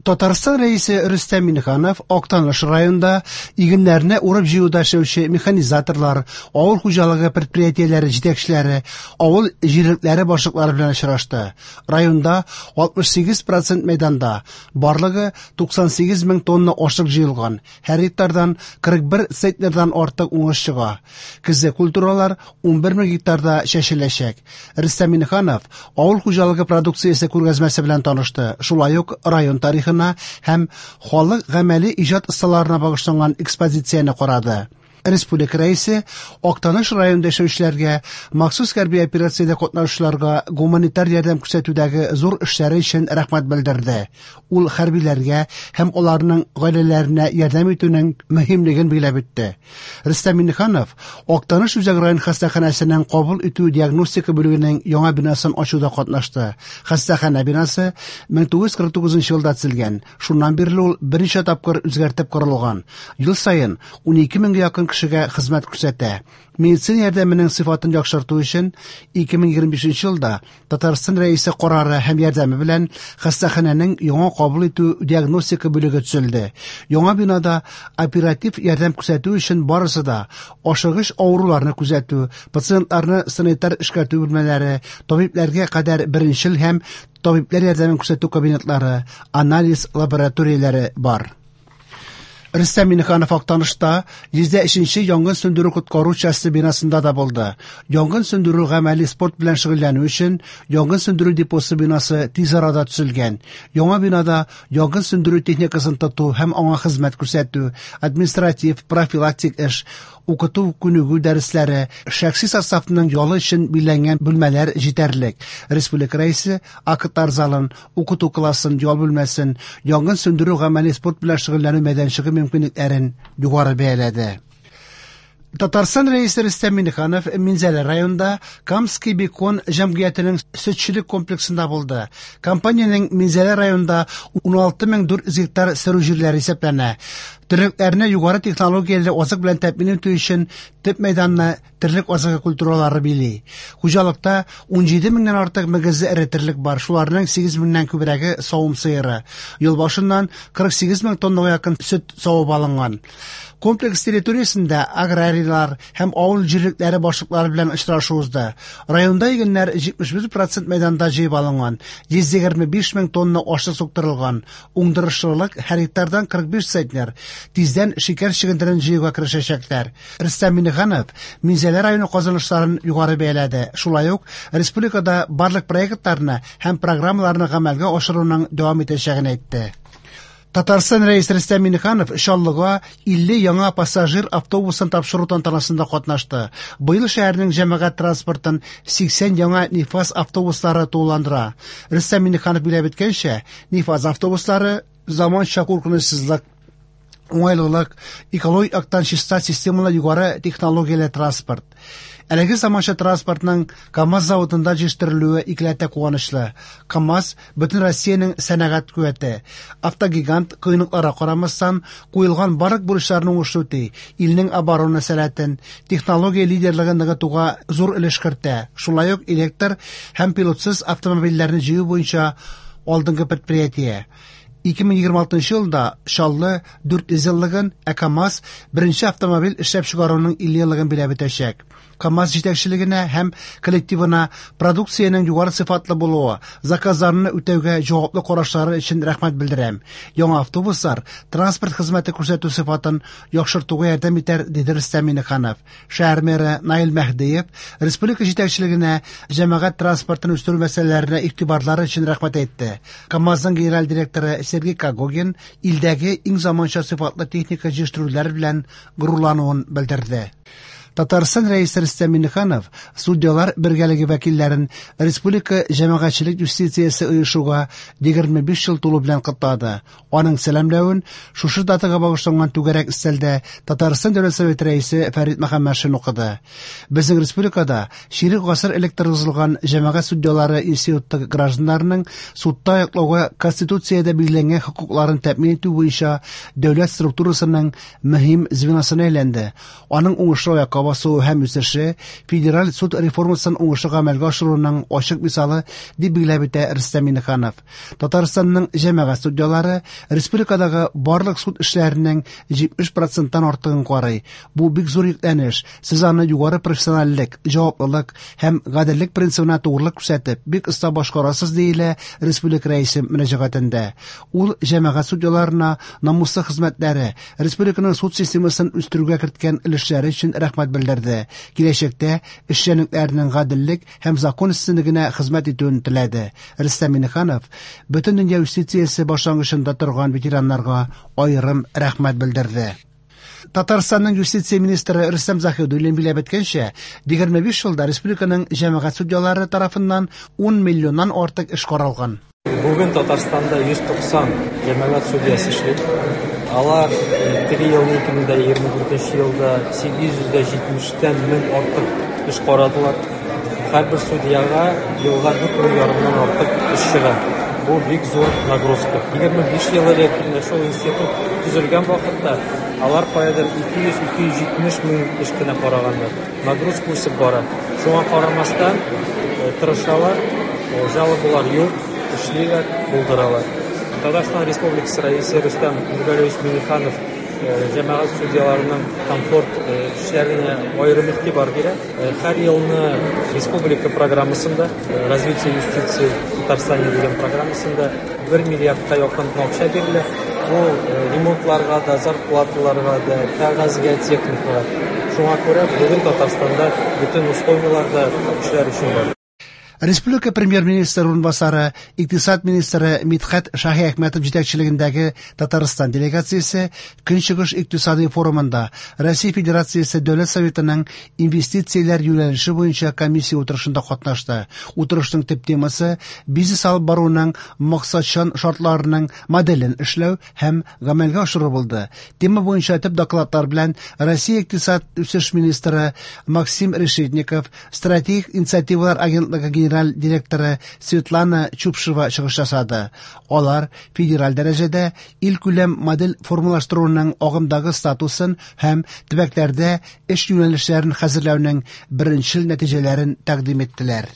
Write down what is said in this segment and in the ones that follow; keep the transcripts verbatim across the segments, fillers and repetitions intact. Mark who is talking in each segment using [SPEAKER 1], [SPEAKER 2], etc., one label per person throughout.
[SPEAKER 1] Татарстан Рәисе Рөстәм Миңнеханов Актаныш районында игеннәрне урып-җыюда эшләүче механизаторлар, авыл хуҗалыгы предприятиеләре җитәкчеләре, авыл җирлекләре башлыклары белән очрашты. Районда алтмыш сигез процент мәйданда барлыгы туксан сигез мең тонна ашлык җыелган. Һәр гектардан кырык бер центнердан артык уңыш чыга. Көзге культуралар унбер мең гектарда чәчеләчәк. Рөстәм Миңнеханов авыл хуҗалыгы продукциясе күргәзмәсе белән танышты. Шулай ук район тарихына һәм халык гамәли иҗат осталарына багышланган экспозицияне карады. Республика Рәисе Актаныш районында яшәүчеләргә, махсус хәрби операциядә катнашучыларга гуманитар ярдәм күрсәтүдәге зур эшләре өчен рәхмәт белдерде. Ул хәрбиләргә һәм аларның гаиләләренә ярдәм итүнең мөһимлеген билгеләп үтте. Рөстәм Миңнеханов Актаныш үзәк район хастаханәсенең кабул итү диагностика бүлегенең яңа бинасын ачуда катнашты. Хастаханә бинасы мең тугыз йөз кырык тугызынчы елда төзелгән. Шуннан бирле ул берничә тапкыр үзгәртеп корылган. Ел саен ун ике меңгә якын кешегә хезмәт күрсәтә. Медицина ярдәменең сыйфатын яхшырту өчен ике мең егерме бишенче елда Татарстан Рәисе карары һәм ярдәме белән хастаханәнең яңа кабул итү диагностика бүлеге төзелде. Яңа бинада оператив ярдәм күрсәтү өчен барысы да ашыгыч авыруларны күзәтү, пациентларны санитар эшкәртү бүлмәләре, табибләргә кадәр беренчел һәм табибләр ярдәмен күрсәтү кабинетлары, анализ лабораторияләре бар. Рөстәм Миңнеханов Актанышта йөз өченче янгын сүндерү коткару часте бинасында да булды. Янгын сүндерү гамәли спорт белән шөгыльләнү өчен янгын сүндерү депосы бинасы тиз арада төзелгән. Яңа бинада янгын сүндерү техникасын тоту һәм аңа хезмәт күрсәтү, административ, профилактик эш, укыту күнегү дәресләре, шәхси составның ялы өчен билгеләнгән бүлмәләр җитәрлек. Республика Рәисе актлар залын, укыту классын, ял бүлмәсен, янгын сүндерү гамәли спорт белән шөгыльләнү мәйданчыгы мөмкинлекләрен югары бәяләде. Татарстан Рәисе Рөстәм Миңнеханов Минзәлә районында Камский бекон җәмгыятенең сөтчелек комплексында булды. Компаниянең Минзәлә районында ун алты мең дүрт йөз гектар сөрү җирләре исәпләнә. Терлекләрне югары технологияле азык белән тәэмин итү өчен төп мәйданны терлек азыгы культуралары били. Хуҗалыкта ун җиде меңнән артык мөгезле эре терлек бар, шуларның сигез меңнән күбрәге савым сыеры. Ел башыннан кырык сигез мең тоннага якын сөт савып алынган. Комплекс территориясендә аграрийлар һәм авыл җирлекләре башлыклары белән очрашу узды. Районда игеннәр җитмеш бер процент мәйданда җыеп алынган, йөз егерме биш мең тонна ашлык суктырылган. Уңдырышлылык һәр гектардан кырык биш центнер. Тиздән шикәр чөгендерен җыюга керешәчәкләр. Рөстәм Миңнеханов Минзәлә районы казанышларын югары бәяләде. Шулай ук республикада барлык проектларны һәм программаларны гамәлгә ашыруның дәвам итәчәген әйтте. Татарстан Рәисе Рөстәм Миңнеханов Чаллыга илле яңа пассажир автобусын тапшыру тантанасында катнашты. Быел шәһәрнең җәмәгать транспортын сиксән яңа Нефаз автобуслары тулыландыра. Рөстәм Миңнеханов билгеләп үткәнчә, Нефаз автобуслары заманча куркынычсызлык, уңайлылык, экологик яктан чиста системалы югары технологияле транспорт. Әлеге заманча транспортның КАМАЗ заводында җитештерелүе икеләтә куанычлы. КАМАЗ бөтен Россиянең сәнәгать куәте. Автогигант кыенлыкларга карамастан куелган барлык бурычларны уңышлы үти, илнең оборона сәләтен, технология лидерлыгын ныгытуга зур өлеш кертә. Шулай ук электр һәм пилотсыз автомобильләрне җыю буенча алдынгы предприятие. Ике мең егерме алтынчы елда Чаллы дүрт йөз еллыгын, ә КАМАЗ беренче автомобиль эшләп чыгаруның илле еллыгын биләп үтәчәк. КАМАЗ җитәкчелегенә һәм коллективына продукциянең югары сыйфатлы булуы, заказларны үтәүгә җаваплы карашлары өчен рәхмәт белдерәм. Яңа автобуслар транспорт хезмәте күрсәтү сыйфатын яхшыртуга ярдәм итәр, диде Рөстәм Миңнеханов. Шәһәр мэры Наил Мәһдиев республика җитәкчелегенә җәмәгать транспортын үстерү мәсьәләләренә игътибарлары өчен рәхмәт әйтте. КАМАЗның генераль директоры Сергей Когогин илдәге иң заманча сыйфатлы техника җитештерүләр белән горурлануын белдерде. Татарстан Рәисе Рөстәм Миңнеханов судьялар бергәлеге вәкилләрен республика җәмәгатьчелек юстициясе оешуга егерме биш ел тулу белән котлады. Аның сәламләвен шушы датага багышланган түгәрәк өстәлдә Татарстан Дәүләт Советы рәисе Фәрит Мөхәммәтшин укыды. Безнең республикада чирек гасыр элек торгызылган җәмәгать судьялары институты гражданнарының судта яклауга Конституциядә билгеләнгән хокукларын тәэмин итү буенча дәүләт структурасының мөһим звеносына әйләнде. Аның уңышлы аякка аякка басуы һәм үсеше федераль суд реформасын уңышлы гамәлгә ашыруның ачык мисалы, дип билгеләп үтә Рөстәм Миңнеханов. Татарстанның җәмәгать судьялары республикадагы барлык суд эшләренең җитмеш проценттан артыгын карый. Бу бик зур йөкләнеш. Сез аны югары профессиональлек, җаваплылык һәм гаделлек принцибына тугрылык күрсәтеп, бик оста башкарасыз, диелә республика рәисе мөрәҗәгатендә. Ул җәмәгать судьяларына намуслы хезмәтләре, республиканың суд системасын үстерүгә керткән өлешләре өчен рәхмәт белдерде. Киләчәктә эшчәнлекләренең гаделлек һәм закон өстенлегенә хезмәт итүен теләде. Рөстәм Миңнеханов Бөтендөнья юстициясе башлангычында торган ветераннарга аерым рәхмәт белдерде. Татарстанның юстиция министры Рөстәм Заһидуллин билгеләп үткәнчә, егерме биш елда республиканың җәмәгать судьялары тарафыннан ун миллионнан артык эш каралган.
[SPEAKER 2] Бүген Татарстанда йөз туксан җәмәгать судьясы эшли. Алар теге елны ике мең егерме дүртенче елда сигез йөз дә җитмештән мең артык эш карадылар. Һәрбер судьяга елга дүрт мең ярымнан артык эш чыга. Бу бик зур нагрузка. Егерме биш ел элек шул институт төзелгән вакытта алар каядыр ике йөз, ике йөз җитмеш мең эш кенә караганнар. Нагрузка үсеп бара. Шуңа карамастан, тырышалар, жалобалар юк, эшлиләр, булдыралар. Татарстан Республикасы Рәисе Рөстәм Нургалиевич Миңнеханов җәмәгать судьяларының комфорт эшләренә аерым игътибар бирә. Һәр елны республика программасында, развитие юстиции в Татарстане дигән программасында бер миллиардка якын акча бирелә. Бу ремонтларга да, зарплаталарга да, кәгазьгә, техникага. Шуңа күрә бүген Татарстанда бөтен условиялар да эшләр өчен бар.
[SPEAKER 1] Республика премьер-министры урынбасары, икътисад министры Мидхәт Шаһиәхмәтов җитәкчелегендәге Татарстан делегациясе Көнчыгыш икътисади форумында Россия Федерациясе Дәүләт Советының инвестицияләр юнәлеше буенча комиссия утырышында катнашты. Утырышның төп темасы бизнес алып баруның максатчан шартларының моделен эшләү һәм гамәлгә ашыру булды. Тема буенча төп докладлар белән Россия икътисад үсеш министры Максим Решетников, стратегик инициативалар агентлыгы генераль директоры Светлана Чупшева чыгыш ясады. Алар федераль дәрәҗәдә илкүләм модель формалаштыруның агымдагы статусын һәм төбәкләрдә эш юнәлешләрен хәзерләүнең беренчел нәтиҗәләрен тәкъдим иттеләр.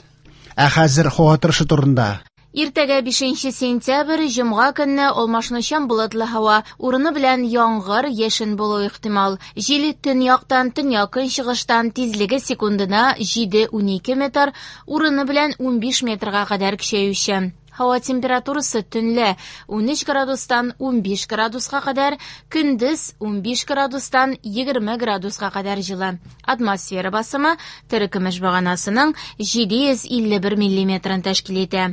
[SPEAKER 1] Ә хәзер һава торышы турында.
[SPEAKER 3] Иртәгә бишенче сентябрь, җомга көнне алмашынучан болытлы һава, урыны белән яңгыр, яшен булу ихтимал. Җил төньяктан, төньяк-көнчыгыштан тизлеге секундына җиде унике метр, урыны белән унбиш метрга кадәр көчәюче. Һава температурасы төнлә унөч градустан унбиш градуска кадәр, көндез унбиш градустан егерме градуска кадәр җылы. Атмосфера басымы терекөмеш баганасының җиде йөз илле бер миллиметрын тәшкил итә.